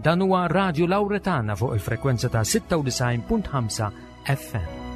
Dan huwa Radio Lauretana fuq il-frekwenza ta' 96.5 FM.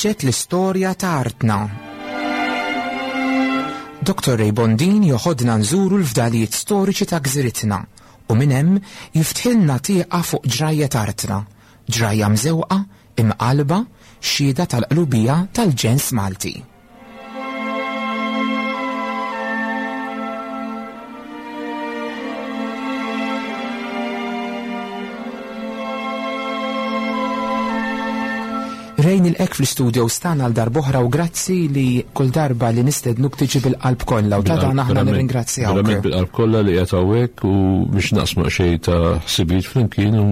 Nisġet l-istorja ta' artna. Dr. Ray Bondin joħodna nżuru l-fdalijiet storiċi ta' gżiritna u minn hemm jiftħilna tieqa fuq ġrajja artna, ġrajja mżewqa, imqalba, xhieda tal-qlubija tal-ġens Malti. Ray nilqek fl-istudio stana għal darb'oħra u grazzi li kull darba li nistednuk tiġi bil-qalb kollha u ta' dan aħna nirringrazzjawk. Verament bil-qalb kollha li qed hawnhekk u biex naqsmu xejn ta' ħsibijiet flimkien u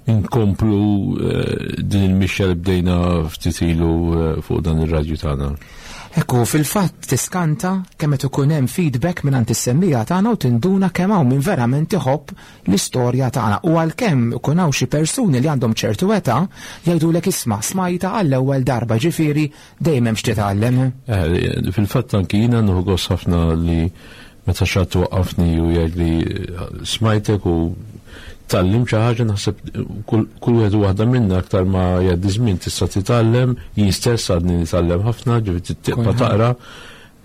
nkomplu eh, din il-mixja li bdejna ftit ilu eh, fuq dan ir-radju tagħna. Ekku, fil-fatt tiskanta kemm qed ikun hemm feedback mingħand is-semmija tagħna u tinduna kemm hawn min verament iħobb l-istorja tagħna. U għalkemm ikun hawn xi persuni li għandhom ċertu età jgħidulek isma' smajta għall-ewwel darba ġifieri dejjem hemm x'titgħallem. Eh, fil-fatt anki jiena nieħu gost ħafna li meta xi ħadd waqqafni u jgħidli smajtek u tgħallimt xi ħaġa naħseb kull wieħed u waħda minna aktar ma jgħaddi żmien tista' titgħallem, jien stess għadni nitgħallem ħafna, ġifieri tibqa' taqra.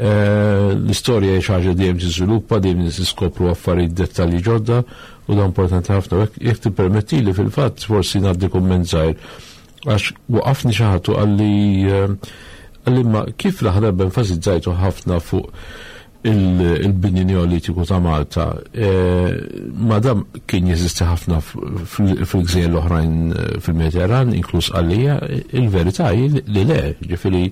Eh, l-istorja hija xi ħaġa dejjem tiżviluppa, dejjem niskopru affarijiet dettalji ġodda u dan importanti ħafna. Jekk tippermettili fil-fatt forsi ngħaddi kumment żgħir għax waqafni xi ħadd u qalli eh, qalli ma kif l-aħħar darba enfasizzajtu ħafna fuq il-bini neolitiku ta' Malta, eh, madam kien jeżisti ħafna fil-gżejjer l-oħrajn eh, fil-Mediterran, inkluż għalija, il-verità hi li le, ġifieri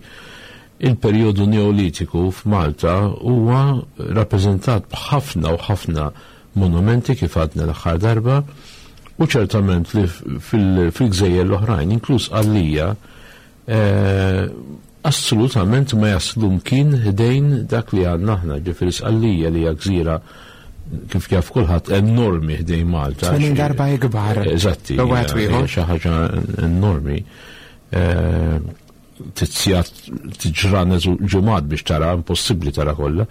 il-perjodu neolitiku f'Malta huwa rappreżentat b'ħafna u ħafna monumenti kif għadna l-aħħar darba u ċertament li fil-gżejjer l-oħrajn, inkluż għalija, eh, assolutament ma jaslu mkien ħdejn dak li għandna aħna, ġifieri Sqallija li hija gżira kif jaf kulħadd enormi ħdejn Malta. 80 darba ikbar. Eżatti. Xi ħaġa enormi. Eh, Tizzjat tiġranet u ġimgħat biex tara, impossibbli tara kollha.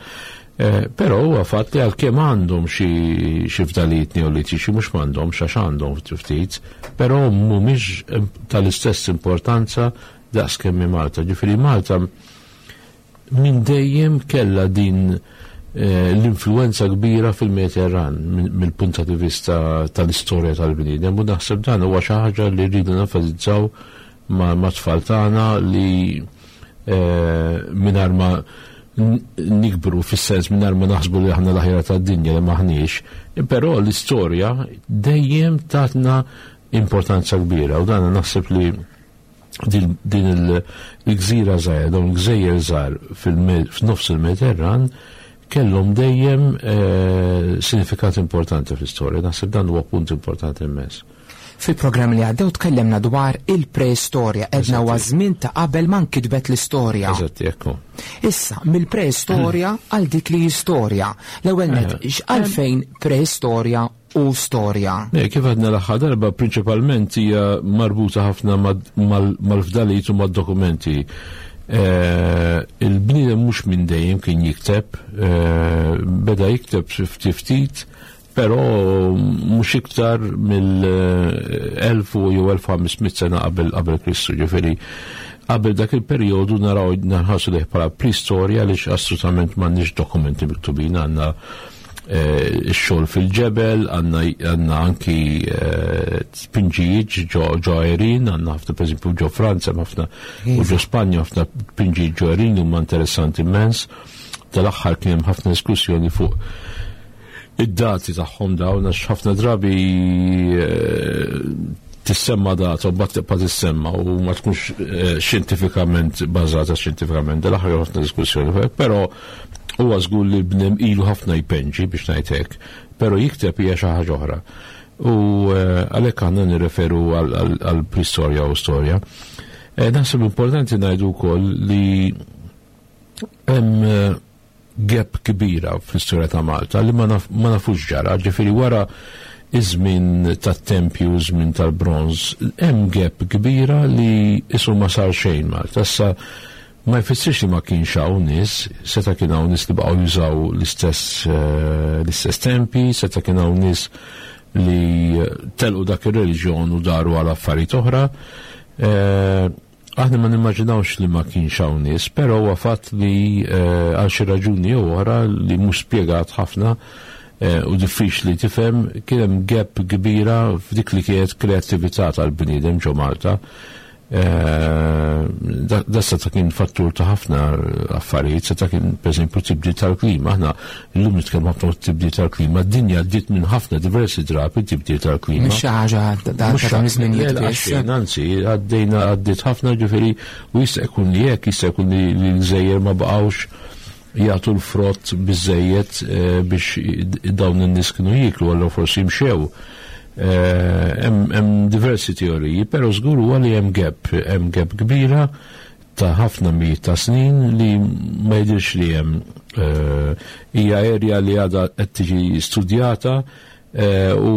Eh, però huwa fatt li għalkemm għandhom xi fdalijiet neolitiċi mhux m'għandhomx għax għandhom ftit, però mhumiex tal-istess importanza daqs kemm hi Malta. Ġifieri Malta minn dejjem kellha din eh, l-influenza kbira fil-Mediterran mill-punt ta' vista tal-istorja tal-bniedem u naħseb dan huwa xi ħaġa li rridu nenfasizzaw ma' tfal tagħna li eh, mingħajr ma nikbru fis-sens mingħajr ma naħsbu li aħna l-aħjar tad-dinja li maħniex, però l-istorja dejjem tatna importanza kbira u dan naħseb li din il-gżira żgħira, dawn il-gżejjer żgħar f'nofs il-Mediterran kellhom dejjem eh, sinifikat importanti fl-istorja. Naħseb dan huwa punt importanti immens. Fil-programm li għaddew tkellimna dwar il-preistorja, edna huwa żmien ta' qabel ma nkitbet l-istorja. Eżatt, ekku. Issa, mill-preistorja għal dik li istorja. L-ewwel net, eh. għalfejn preistorja u storja. Eh, kif għadna l-aħħar darba, prinċipalment hija marbuta ħafna mal-fdalijiet u mad-dokumenti. Eh, il-bniedem mhux minn dejjem kien jikteb, eh, beda jikteb ftit ftit, però mhux iktar mill-1000 jew 1500 sena qabel qabel Kristu, ġifieri qabel dak il-perjodu naraw nħarsu lejh bħala preistorja għaliex assolutament m'għandniex dokumenti miktubin għandna Eh, xogħol fil-ġebel, għandna anki eh, tpinġijiet ġo għerin, għandna ħafna pereżempju ġo Franza, ħafna u ġo Spanja ħafna tpinġijiet ġo għerin huma interessanti immens. Tal-aħħar kien hemm ħafna diskussjoni fuq id-dati tagħhom dawn għax ħafna drabi eh, Tissemma data u mbagħad tibqa' tissemma u ma tkunx xjentifikament bażata xjentifikament. Dal-aħħar ħafna diskussjoni, però huwa żgur li l-bniedem ilu ħafna jpenġi biex ngħid hekk, però jikteb hija xi ħaġa oħra. U għalhekk aħna nirreferu għal preistorja u storja. Naħseb importanti ngħidu wkoll li hemm gap kbira fl-istorja ta' Malta li ma nafux ġara, ġifieri wara iż-żmien tat-tempju, iż-żmien tal-bronż, hemm gap kbira li isu ma sar xejn Malta. Issa ma jfissirx li ma kienx hawn nies, seta' kien hawn nies li baqgħu jużaw l-istess l-istess tempi, seta' kien hawn nies li telqu dak ir-reliġjon u daru għal affarijiet oħra. Aħna ma nimmaġinawx li ma kienx hawn nies, però huwa fatt li għal xi raġuni jew oħra li mhux spjegat ħafna u diffiċli tifhem kien hemm gap kbira f'dik li kienet kreattività tal-bniedem ġo Malta. Da seta' kien fattur ta' ħafna affarijiet, seta' kien pereżempju tibdil tal-klima. Aħna llum nitkellmu ħafna fuq tibdil tal-klima, d-dinja għaddiet minn ħafna diversi drabi tibdil tal-klima. Mhux xi ħaġa ta' dawn iż-żminijiet biss. Anzi, għaddejna għaddiet ħafna ġifieri u jista' jkun li hekk, jista' jkun li l-gżejjer ma baqgħux jagħtu l-frott biżejjed biex dawn in-nies kienu jieklu, allura forsi mxew. Hemm diversi teoriji, però żgur huwa li hemm gap, hemm gap kbira ta' ħafna mijiet ta' snin li ma jidhirx li hemm hija area li għadha qed tiġi studjata u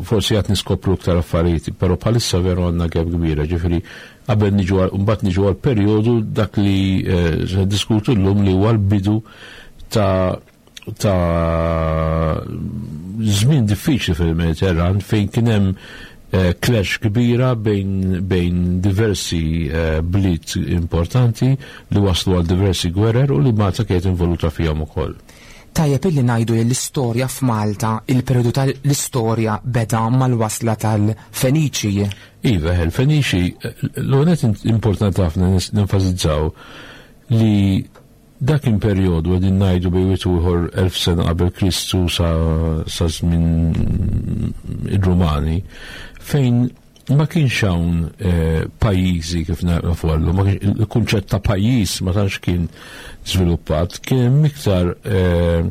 forsi għad niskopru iktar affarijiet, però bħalissa veru għandna gap kbira, ġifieri qabel niġu mbagħad niġu għal perjodu dak li se diskutu llum li huwa l-bidu ta' ta' żmien diffiċli fil-Mediterran fejn kien hemm clash kbira bejn, bejn diversi bliet importanti li waslu għal diversi gwerer u li Malta kienet involuta fihom ukoll. Tajjeb illi ngħidu li l-istorja f'Malta, il-perjodu tal-istorja beda mal-wasla tal-Feniċi. Iva, il-Feniċi, l-għonet importanti ħafna nenfasizzaw li Dak kien perjodu, qegħdin ngħidu bejn wieħed u ieħor 1000 sena qabel Kristu sa sa żmien ir-Rumani, fejn ma kienx hawn eh, pajjiżi kif nafu għallu, il-kunċett ta' pajjiż ma tantx kien żviluppat, kien hemm iktar eh,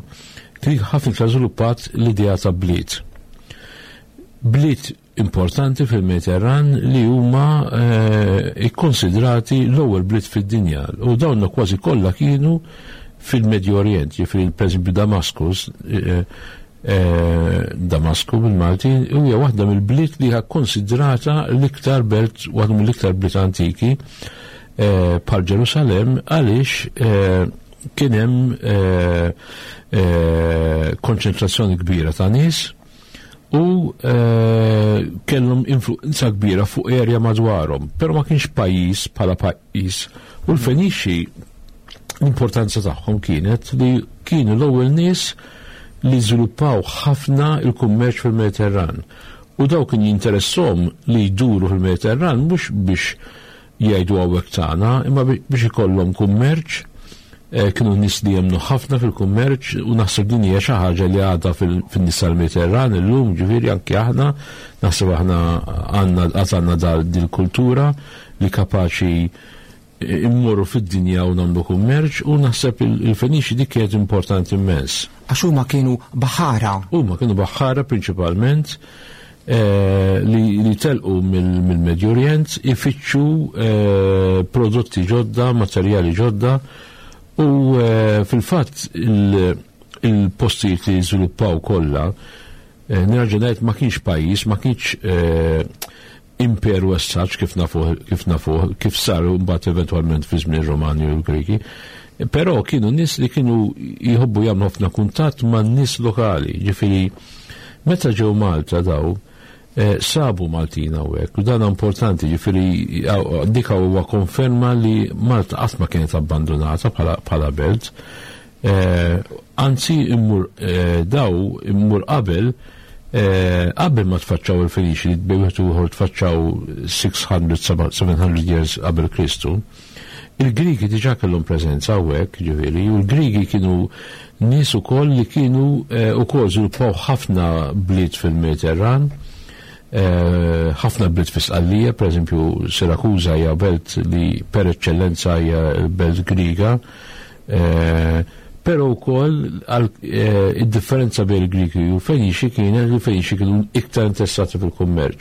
kien ħafna iktar żviluppat l-idea ta' bliet. Bliet importanti fil-Mediterran li huma ikkonsidrati l-ewwel bliet fid-dinja u dawn kważi kollha kienu fil-Medju Orjent, jiġifieri pereżempju Damaskus, Damasku bil-Malti, hija waħda mill-bliet li hija konsidrata l-iktar belt, waħda mill-iktar bliet antiki bħal Ġerusalemm għaliex kien hemm konċentrazzjoni kbira ta' nies u kellhom influenza kbira fuq area madwarhom, però ma kienx pajjiż bħala pajjiż. U l-Fenixi l-importanza tagħhom kienet li kienu l-ewwel nies li żviluppaw ħafna il-kummerċ fil-Mediterran. U daw kien jinteressom li jduru fil-Mediterran mhux biex jgħidu hawnhekk tagħna, imma biex ikollhom kummerċ, kienu nies li jemmnu ħafna fil-kummerċ u naħseb din hija xi ħaġa li għadha fin-nies tal-Mediterran illum, ġifieri anki aħna, naħseb aħna għandna għad għandna dil-kultura li kapaċi immorru fid-dinja u nagħmlu kummerċ u naħseb il-Feniċi dik kienet importanti immens. Għax huma kienu baħħara. Huma kienu baħħara prinċipalment. Li telqu mill-Medju Orjent ifittxu prodotti ġodda, materjali ġodda u fil-fatt il-postijiet li żviluppaw kollha nerġa' ngħid ma kienx pajjiż, ma kienx imperu essaċ kif nafuh kif nafuh kif sar mbagħad eventwalment fi żmien Romani u l-Griki. Però kienu nies li kienu jħobbu jagħmlu ħafna kuntatt man nies lokali, ġifieri meta ġew Malta daw sabu Maltin hawnhekk u dan importanti, ġifieri dik huwa konferma li Malta qatt ma kienet abbandunata bħala belt. Anzi immur daw immur qabel qabel ma tfaċċaw il-Feniċi li bejn wieħed u ieħor tfaċċaw 600 700 years qabel Kristu. Il-Grigi diġà kellhom preżenza hawnhekk, ġifieri, u l-Grigi kienu nies ukoll li kienu ukoll żviluppaw ħafna bliet fil-Mediterran. Ħafna bliet fi Sqallija, pereżempju Sirakuża hija belt li per eċċellenza hija belt Griega, però wkoll id-differenza bejn il-Griki u l-Feniċi kienet li l-Feniċi kienu iktar interessati fil-kummerċ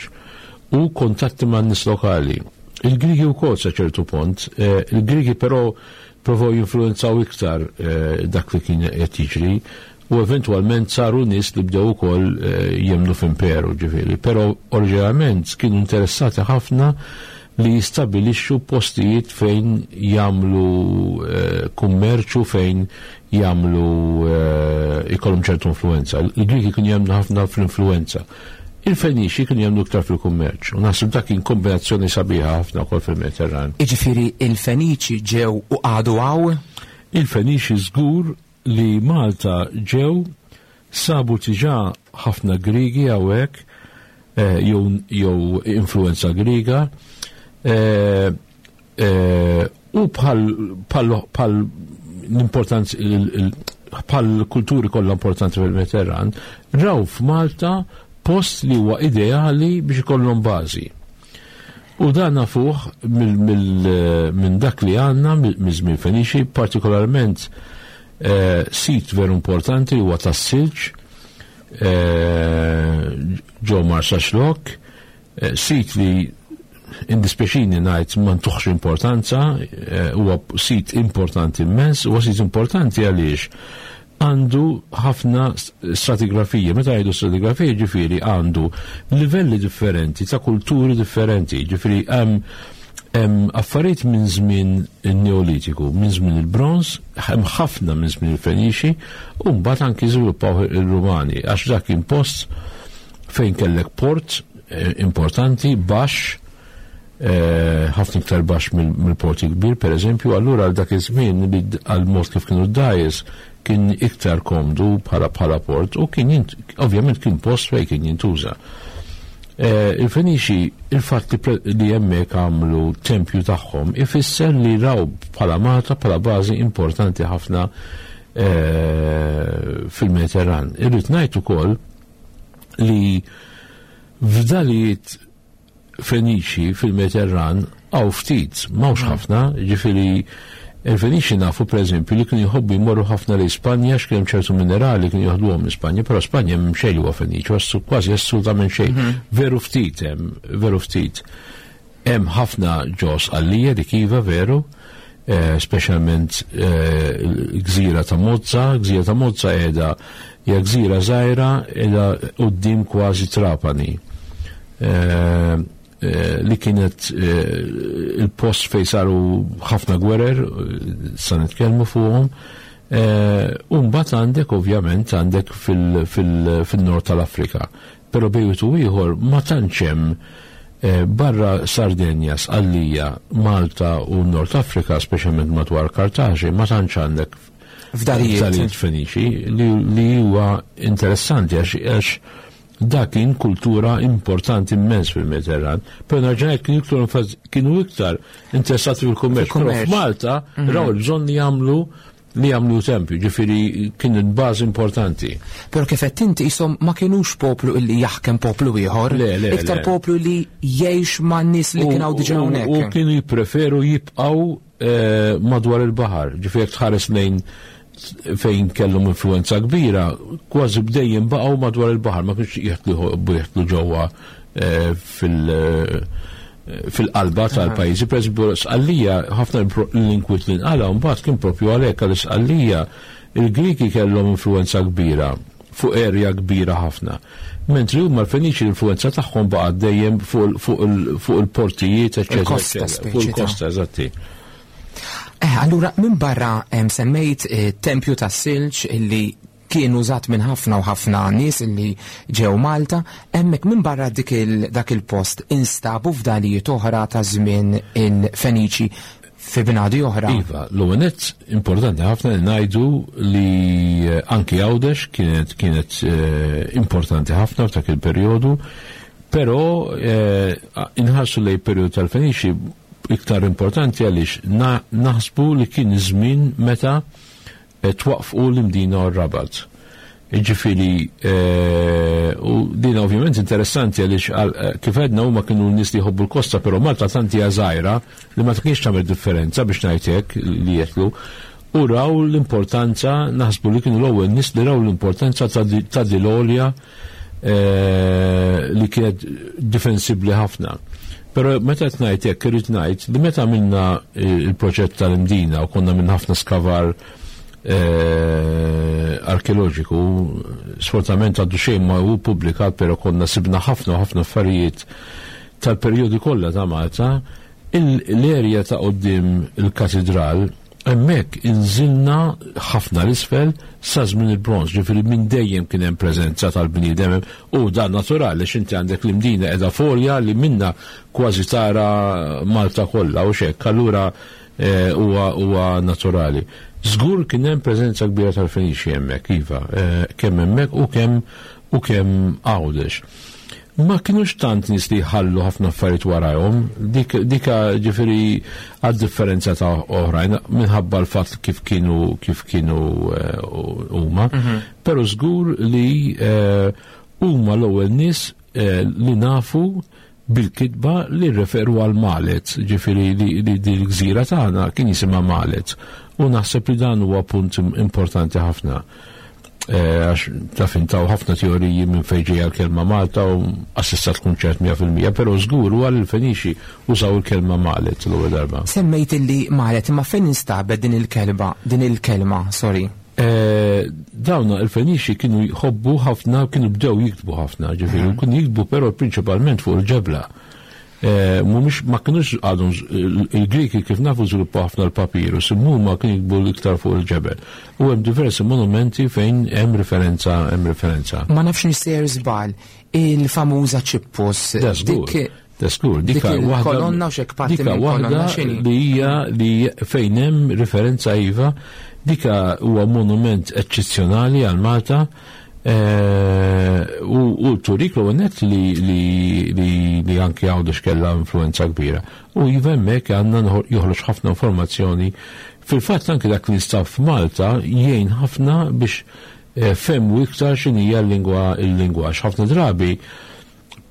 u kuntatti man-nies lokali. Il-Griki wkoll sa ċertu punt, il-Griki però provaw jinfluwenzaw iktar dak li kien qed jiġri u eventwalment saru nies li bdew ukoll jemmnu f'imperu, ġifieri. Però oriġinarjament kienu interessati ħafna li jistabilixxu postijiet fejn jagħmlu kummerċ u fejn jagħmlu ikollhom ċertu influwenza. Il-Griki kienu jemmnu ħafna fl-influwenza. Il-Feniċi kienu jemmnu iktar fil-kummerċ u naħseb dak kien kombinazzjoni sabiħa ħafna wkoll fil-Mediterran. Jiġifieri il-Feniċi ġew u qagħdu hawn? Il-Feniċi żgur li Malta ġew sabu diġà ħafna Griegi hawnhekk jew jew influwenza Griega u bħal bħal bħal l-importanza bħal kulturi kollha importanti fil-Mediterran, raw f'Malta post li huwa ideali biex ikollhom bażi. U dan nafuh minn dak li għandna miż-żmien Feniċi, partikolarment sit veru importanti huwa tas-silġ ġo Marsaxlokk, sit li indispjaċini ngħid ma ntuħx importanza, huwa sit importanti immens, huwa sit importanti għaliex għandu ħafna stratigrafija. Meta ngħidu stratigrafija ġifieri għandu livelli differenti ta' kulturi differenti, ġifieri hemm affarijiet minn żmien in-Neolitiku, minn żmien il-Bronż, hemm ħafna minn żmien il-Feniċi, u mbagħad anki żviluppaw il-Rumani, għax dak kien post fejn kellek port importanti, baxx, ħafna iktar baxx mill-porti kbir, per eżempju, allura għal dak iż-żmien li għal mod kif kienu d-dgħajjes kien iktar komdu bħala port u kien ovvjament kien post fejn kien jintuża. Il-Feniċi, il-fatt li hemmhekk għamlu tempju tagħhom ifisser li raw bħala Malta bħala bażi importanti ħafna fil-Mediterran. Irrid ngħid ukoll li fdalijiet Feniċi fil-Mediterran hawn ftit, m'hawnx ħafna, ġifieri il-Feniċi nafu pereżempju li kienu jħobbu jmorru ħafna lejn Spanja għax kien hemm ċertu minerali kienu joħduhom minn Spanja, però Spanja m'hemm xejn li huwa Feniċi, kważi assolutament xejn. Veru ftit hemm, veru ftit. Hemm ħafna ġo Sqallija dik iva veru, speċjalment gżira ta' Mozza, gżira ta' Mozza qiegħda hija gżira żgħira qiegħda quddiem kważi Trapani. Li kienet il-post fejn saru ħafna gwerer, sa nitkellmu fuqhom. U mbagħad għandek ovvjament għandek fil-nord tal-Afrika. Però bejn wieħed u ieħor ma tantx hemm barra Sardenja, Sqallija, Malta u Nord Afrika, speċjalment madwar Kartaġi, ma tantx għandek fdalijiet Feniċi li huwa interessanti għax dak kien kultura importanti immens fil-Mediterran. Però nerġa' ngħid kienu iktar interessati fil-kummerċ. Però f'Malta raw il-bżonn li jagħmlu li jagħmlu tempju, ġifieri kien bażi importanti. Però kif qed inti qishom ma kinux poplu illi jaħkem poplu ieħor, Le, le, iktar le. poplu li jgħix ma' nies li kien hawn diġà hawnhekk. U kienu jippreferu jibqgħu madwar il-baħar, ġifieri jekk tħares lejn fejn kellhom influenza kbira, kważi bdejjem baqgħu madwar il-baħar, ma kienx jeħtlu ġewwa fil-qalba tal-pajjiżi. Per eżempju, Sqallija, ħafna l-inkwit li nqala mbagħad kien propju għalhekk għal Sqallija il-Griki kellhom influenza kbira fuq erja kbira ħafna. Mentri huma l-Feniċi l-influenza tagħhom baqgħet dejjem fuq il-portijiet, eċċetera, Il-kosta eċċetera. Fuq speċi ta' il-kosta, eżatti. Allura, minn barra semmejt tempju tas-silġ illi kien użat minn ħafna u ħafna nies illi ġew Malta, hemmhekk minn barra dak il-post instabu fdalijiet oħra ta' żmien il-Feniċi fi bnadi oħra. Iva, l-ewwel nett importanti ħafna li ngħidu li anki Għawdex kienet importanti ħafna f'dak il-perjodu, però inħarsu lejn perjodu tal-Feniċi iktar importanti għaliex naħsbu li kien żmien meta twaqfu l-Imdina u r-Rabat. Ġifieri, u din ovvjament interessanti għaliex kif għedna huma kienu nies li jħobbu l-kosta, però Malta tant hija żgħira li ma kienx tagħmel differenza biex ngħid hekk li jetlu. U raw l-importanza, naħsbu li kienu l-ewwel nies li raw l-importanza ta' dil-għolja li kienet difensibbli ħafna. Però meta qed ngħid hekk irid ngħid li meta għamilna il-proġett tal-Imdina u konna minn ħafna skavar arkeoloġiku, sfortunatament għaddu xejn ma hu ppubblikat, però konna sibna ħafna u ħafna affarijiet tal-perjodi kollha ta' Malta, l-erja ta' quddiem il-katidral, hemmhekk inżilna ħafna l-isfel sa żmien il-bronż, ġifieri minn dejjem kien hemm preżenza tal-bniedem u dan naturali għax inti għandek l-Imdina qiegħda f'għolja li minnha kważi tara Malta kollha u x'hekk, allura huwa naturali. Żgur kien hemm preżenza kbira tal-Feniċi hemmhekk, iva, kemm hemmhekk u kemm u kemm Għawdex. Ma kinux tant nies li jħallu ħafna affarijiet warajhom, dik dika ġifieri għad-differenza ta' oħrajn minħabba l-fatt kif kienu kif kienu huma, però żgur li huma l-ewwel nies li nafu bil-kitba li rreferu għal Malet, ġifieri li din il-gżira tagħna kien jisimha Malet. U naħseb li dan huwa punt importanti ħafna. Għax taf intaw ħafna teoriji minn fejn ġejja l-kelma Malta u assista tkun ċert 100%, però żgur huwa li l-Feniċi użaw il-kelma Malet l-ewwel darba. Semmejt illi Malet, imma fejn instabet din il-kelba, din il-kelma, sorry? Dawna il-Feniċi kienu jħobbu ħafna, kienu bdew jiktbu ħafna, ġifieri, kienu jiktbu però prinċipalment fuq il-ġebla. Mhumiex ma kinux għadhom il-Griki kif nafu żviluppaw ħafna l-papirus, imma huma kienu jiktbu l-iktar fuq il-ġebel. U hemm diversi monumenti fejn hemm referenza, hemm referenza. Ma nafx nissejjer żball, il-famuża Ċippus. Da żgur. Da żgur, dika waħda. Kolonna u xek parti dika waħda li hija li fejn hemm referenza iva, dika huwa monument eċċezzjonali għal Malta. U turik l net li anki Għawdex kellha influenza kbira. U iva hemmhekk għandna joħroġ ħafna informazzjoni. Fil-fatt anki dak li nstab f'Malta jgħin ħafna biex femmu iktar x'inhija l-lingwa il-lingwa. Ħafna drabi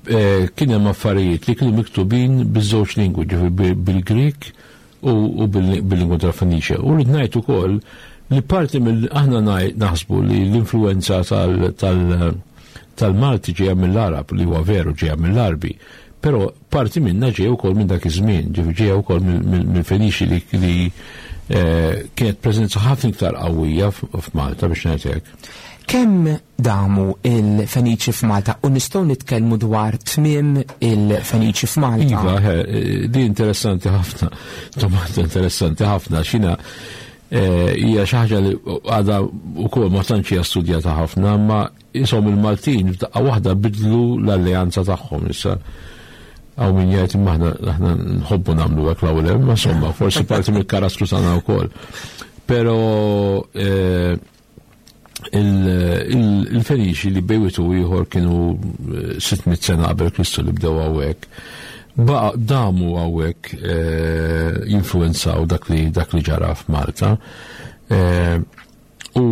kien hemm affarijiet li kienu miktubin biż-żewġ lingwi, ġifieri bil-Grik u bil-lingwa tal-Feniċja. U rrid ngħid ukoll li parti mill aħna naħsbu li l-influenza tal-Malti ġejja mill-Arab, li huwa veru ġejja mill-Arbi, però parti minna ġejja wkoll minn dak iż-żmien, ġifieri ġejja wkoll mill-Feniċi li kienet preżenza ħafna iktar qawwija f'Malta biex ngħid hekk. Kemm damu il-Feniċi f'Malta u nistgħu nitkellmu dwar tmiem il-Feniċi f'Malta? Iva, di interessanti ħafna, domanda interessanti ħafna, xina hija xi ħaġa li għadha wkoll ma tantx hija studjata ħafna, ma isom il-Maltin f'daqqa waħda bidlu l-alleanza tagħhom issa. Hawn min jgħid imma aħna nħobbu nagħmlu hekk l-ewwel, imma insomma, forsi parti mill-karattru tagħna wkoll. Però il-Feniċi li bejwitu ieħor kienu 600 sena qabel Kristu li bdew hawnhekk. Baqa damu hawnhekk jinfluwenzaw dak li ġara f'Malta. U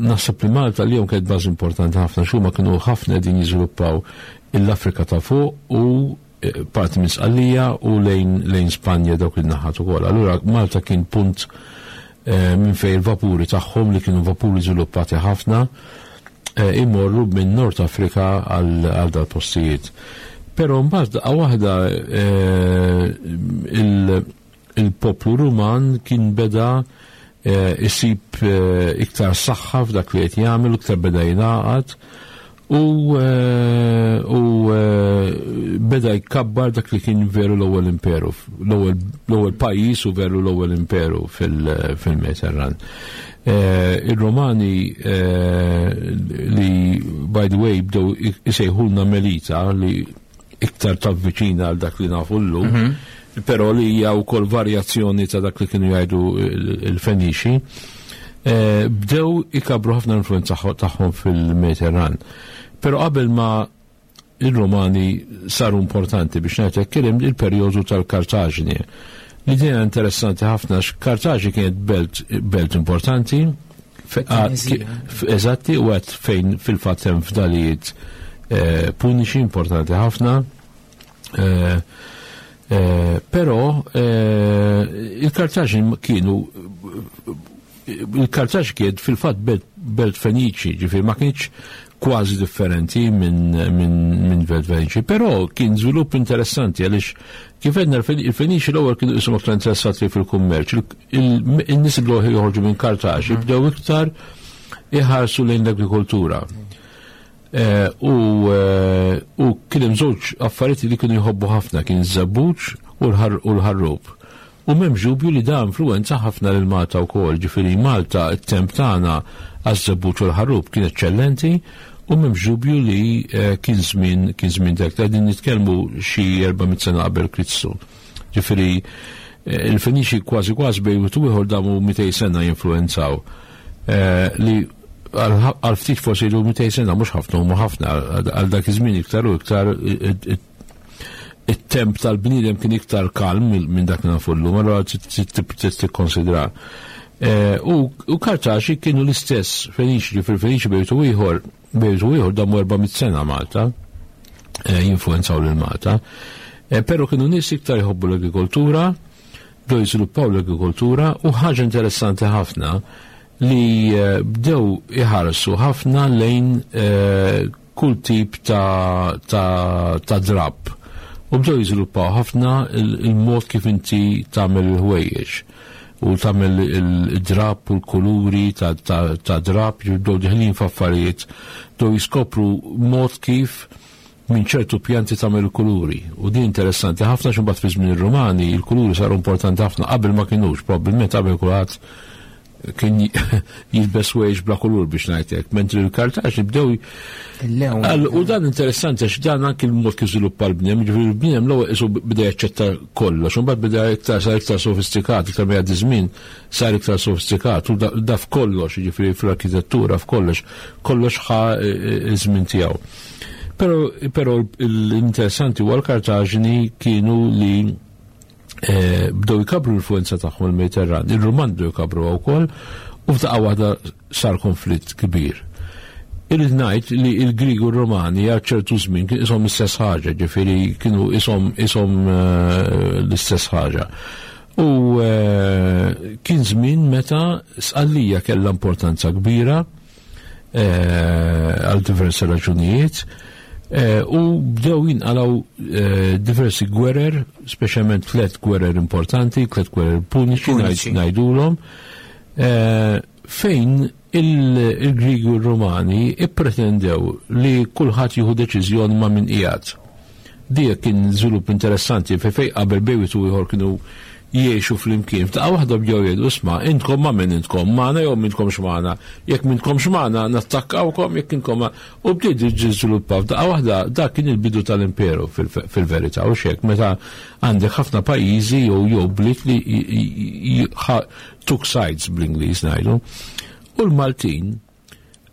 naħseb li Malta li kienet bażi importanti ħafna x'huma kienu ħafna qegħdin jiżviluppaw l-Afrika ta' fuq u parti minn Sqallija u lejn Spanja dawk il-naħat ukoll. Allura Malta kien punt minn fejn il-vapuri tagħhom li kienu vapuri żviluppati ħafna imorru minn Nord Afrika għal dal-postijiet. Però mbagħad daqqa waħda il-poplu Ruman kien beda isib iktar saħħa f'dak li qed jagħmel, iktar beda jingħaqad u beda jkabbar dak li kien veru l-ewwel imperu, l-ewwel pajjiż u veru l-ewwel imperu fil-Mediterran. Il-Romani li by the way bdew isejħulna Melita li iktar tavviċina għal dak li nafu llum, però li hija wkoll varjazzjoni ta' dak li kienu jgħidu il-Feniċi, bdew ikabru ħafna influenza tagħhom fil-Mediterran. Però qabel ma il-Romani saru importanti biex ngħid hekk kien hemm il-perjodu tal-Kartaġni. L-idea interessanti ħafna għax Kartaġni kienet belt importanti. Eżatti, u għad fejn fil-fatt hemm fdalijiet puniċi importanti ħafna. Però il-Kartaġni kienu il-Kartaġ kien fil-fatt belt Feniċi, ġifieri ma kienx kważi differenti minn belt Feniċi, però kien żvilupp interessanti għaliex kif għedna il-Feniċi l-ewwel kienu qishom aktar interessati fil-kummerċ. In-nies bdew joħorġu minn Kartaġ, bdew iktar iħarsu lejn l-agrikoltura. U kien hemm żewġ affarijiet li kienu jħobbu ħafna, kien iż-żebbuġ u l-ħarrub. U m'hemmx dubju li da influwenza ħafna lil Malta wkoll, ġifieri Malta t-temp tagħna għaż-żebbuġ u l-ħarrub kien eċċellenti u m'hemmx dubju li kien żmien kien żmien dak. Qegħdin nitkellmu xi 400 sena qabel Kristu. Ġifieri il-Feniċi kważi kważi bejn wieħed u ieħor damu 200 sena jinfluwenzaw. Li għal ftit forsi ilu 200 sena mhux ħafna huma ħafna għal dak iż-żmien iktar u iktar it-temp tal-bniedem kien iktar kalm minn dak li nafu llum, allura trid tikkonsidra. U Kartaġi kienu l-istess Feniċi, ġifieri Feniċi bejtu ieħor, bejtu ieħor damu 400 sena Malta, jinfluwenzaw lil Malta. Però kienu nies iktar jħobbu l-agrikoltura, bdew jiżviluppaw l-agrikoltura u ħaġa interessanti ħafna li bdew iħarsu ħafna lejn kull tip ta' ta' ta' drapp. U bdew jiżviluppaw ħafna il-mod kif inti tagħmel il-ħwejjeġ u tagħmel il-drapp u l-kuluri ta', ta, ta drapp, bdew diħlin f'affarijiet, bdew jiskopru mod kif minn ċertu pjanti tagħmel il-kuluri. U din interessanti ħafna x'imbagħad fi żmien ir-Rumani il-kuluri saru importanti ħafna qabel ma kinux, probabbilment qabel kulħadd kien jilbes wejx bla kulur biex ngħidlek, mentri l-Kartaġni bdew U dan interessanti għax dan anki l-mod kif żviluppa l-bniem, ġifieri l-bniem l-ewwel qisu beda jaċċetta kollox, u mbagħad beda iktar sar iktar sofistikat, iktar ma jgħaddi żmien sar iktar sofistikat u da f'kollox, ġifieri fl-arkitettura f'kollox, kollox ħa iż-żmien tiegħu. Però l-interessanti huwa l-Kartaġni kienu li bdew jkabru l-influenza tagħhom il-Mediterran, ir-Ruman bdew jkabru wkoll u f'daqqa waħda sar konflitt kbir. Irrid ngħid li l-Grieg u r-Romani għal ċertu żmien kien ishom l-istess ħaġa, ġifieri kienu ishom ishom l-istess ħaġa. U kien żmien meta Sqallija kellha importanza kbira għal diversi raġunijiet u bdew jinqalgħu diversi gwerer, speċjalment tliet gwerer importanti, tliet gwerer puniċi ngħidulhom, fejn il-Griegi u r-Rumani ippretendew li kulħadd jieħu deċiżjoni ma' min qiegħed. Dik kien żvilupp interessanti fejn fejn qabel bejn wieħed u ieħor kienu jgħixu flimkien. F'daqqa waħda bdew jgħidu isma' intkom ma' min intkom, magħna jew m'intkomx magħna. Jekk m'intkomx magħna nattakkawkom, jekk intkom u bdiet jiżviluppa f'daqqa waħda dak kien il-bidu tal-imperu fil-verità u xek meta għandek ħafna pajjiżi jew jew bliet li took sides bl-Ingliż ngħidu. U l-Maltin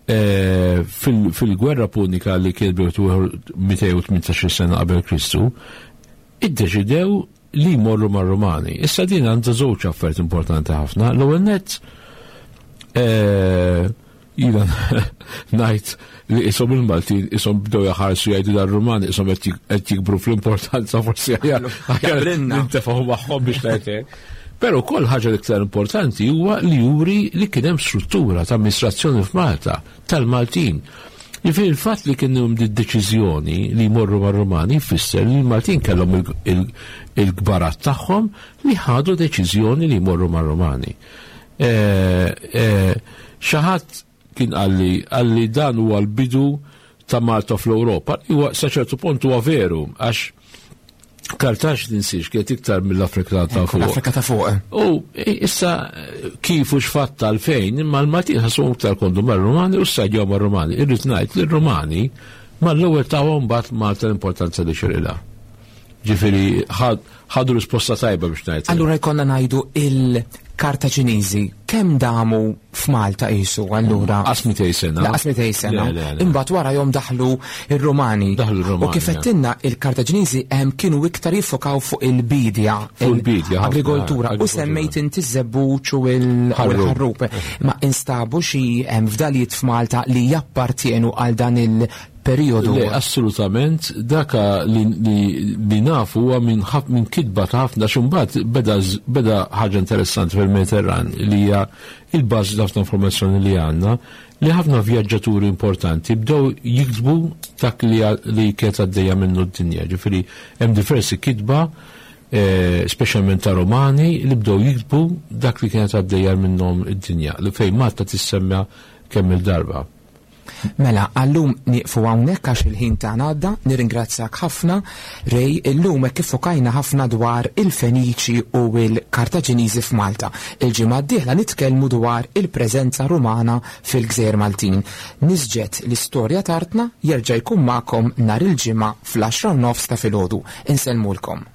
fil-gwerra punika li kien 218 sena qabel Kristu, iddeċidew li jmorru mar-Rumani. Issa din għandha żewġ affarijiet importanti ħafna. L-ewwel nett jiena ngħid li ishom il-Maltin ishom bdew jaħarsu jgħidu dar-Rumani ishom qed jikbru fl-importanza forsi aħjar nintefgħu magħhom biex ngħid hekk. Però wkoll ħaġa l-iktar importanti huwa li juri li kien hemm struttura ta' amministrazzjoni f'Malta tal-Maltin. Jiġifieri il-fatt li kien hemm deċiżjoni li jmorru mar-Rumani jfisser li l-Maltin kellhom il-kbarat tagħhom li ħadu deċiżjoni li jmorru mar-Rumani. Xi ħadd kien qalli qalli dan huwa l-bidu ta' Malta fl-Ewropa. Huwa sa ċertu punt huwa veru għax Kartaġ tinsiex kienet iktar mill-Afrika ta' fuq. L-Afrika ta' fuq. U issa kif u x'fatt għalfejn, imma l-Maltin ħassuhom iktar kondu mar-Rumani u ssajjaw mar-Rumani. Irrid ngħid li r-Rumani mal-ewwel tawhom mbagħad Malta l-importanza li xirilha. Ġifieri ħadu risposta tajba biex ngħid. Allura jkollna ngħidu il-Kartaġiniżi kemm damu f'Malta qisu allura? Qas 200 sena. Laqas 200 sena. Imbagħad warahom daħlu r-Rumani. Daħlu r-Rumani. U kif għedtilna il-Kartaġiniżi hemm kienu iktar jiffokaw fuq il-bidja. Fuq il-bidja. Agrikoltura. U semmejt inti ż-żebbuġ u l-ħarrub. Ma instabu xi fdalijiet f'Malta li jappartjenu għal dan il periodu. Le, assolutament, daka li, li, li nafu huwa minn min kitba ta' ħafna xumbat beda, beda ħaġa interessanti fil-Mediterran li hija il-bażi ta' ħafna informazzjoni li għandna li ħafna vjaġġaturi importanti bdew jiktbu dak li, li kienet għaddejja minnu d-dinja. Ġifieri hemm diversi kitba eh, speċjalment ta' Romani li bdew jiktbu dak li kienet għaddejja minnhom id-dinja li fejn Malta tissemma kemm il-darba. Mela, għallum nieqfu hawnhekk għax il-ħin tagħna għadda, nirringrazzjak ħafna Ray, illum hekk iffokajna ħafna dwar il-Feniċi u l-Kartaġiniżi f'Malta. Il-ġimgħa d-dieħla nitkellmu dwar il-preżenza Rumana fil-Gżejjer Maltin. Nisġet l-istorja t'artna jerġa' jkun magħkom nhar il-Ġimgħa fl-10:30 ta' filgħodu. Insellmulkom.